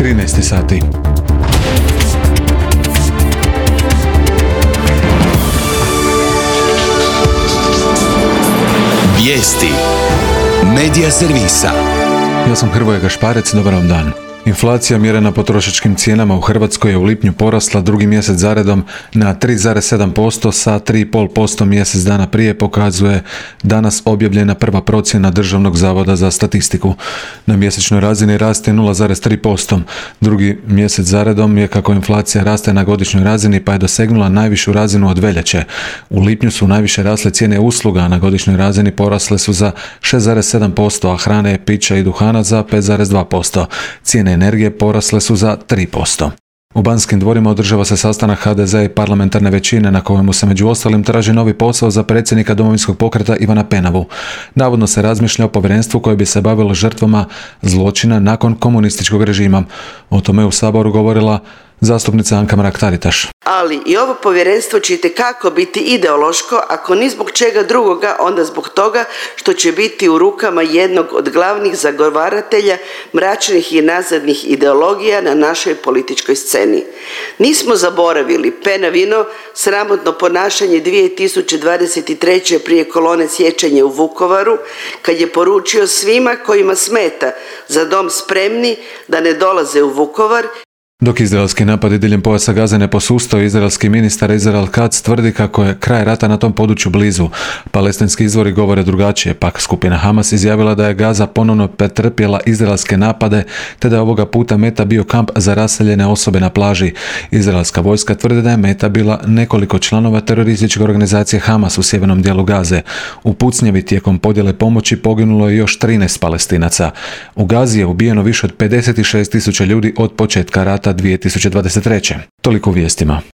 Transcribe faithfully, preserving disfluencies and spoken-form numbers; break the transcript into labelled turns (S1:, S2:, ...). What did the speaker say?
S1: trinaest sati.
S2: Vijesti Medija servisa.
S1: Ja sam Hrvoje Gašparec, dobar vam dan. Inflacija mjerena potrošačkim cijenama u Hrvatskoj je u lipnju porasla drugi mjesec zaredom na tri zarez sedam posto sa tri zarez pet posto mjesec dana prije, pokazuje danas objavljena prva procjena Državnog zavoda za statistiku. Na mjesečnoj razini raste nula zarez tri posto. Drugi mjesec zaredom je kako inflacija raste na godišnjoj razini, pa je dosegnula najvišu razinu od veljače. U lipnju su najviše rasle cijene usluga, a na godišnjoj razini porasle su za šest zarez sedam posto, a hrane, pića i duhana za pet zarez dva posto. Cijene energije porasle su za tri posto. U Banskim dvorima održava se sastanak ha de ze i parlamentarne većine na kojemu se među ostalim traži novi posao za predsjednika Domovinskog pokreta Ivana Penavu. Navodno se razmišlja o povjerenstvu koje bi se bavilo žrtvama zločina nakon komunističkog režima. O tome je u Saboru govorila zastupnica Anka Mrak-Taritaš.
S3: Ali i ovo povjerenstvo će itekako biti ideološko, ako ni zbog čega drugoga, onda zbog toga što će biti u rukama jednog od glavnih zagovaratelja mračnih i nazadnih ideologija na našoj političkoj sceni. Nismo zaboravili Penavino sramotno ponašanje dvije tisuće dvadeset treće prije kolone sjećanja u Vukovaru, kad je poručio svima kojima smeta Za dom spremni da ne dolaze u Vukovar.
S1: Dok izraelski napadi diljem pojasa Gaze ne posustaju, izraelski ministar Israel Katz tvrdi kako je kraj rata na tom području blizu. Palestinski izvori govore drugačije, pak skupina Hamas izjavila da je Gaza ponovno pretrpjela izraelske napade, te da je ovoga puta meta bio kamp za raseljene osobe na plaži. Izraelska vojska tvrdi da je meta bila nekoliko članova terorističke organizacije Hamas u sjevernom dijelu Gaze. U pucnjavi tijekom podjele pomoći poginulo je još trinaest Palestinaca. U Gazi je ubijeno više od pedeset šest tisuća ljudi od početka rata dvije tisuće dvadeset treće. Toliko u vijestima.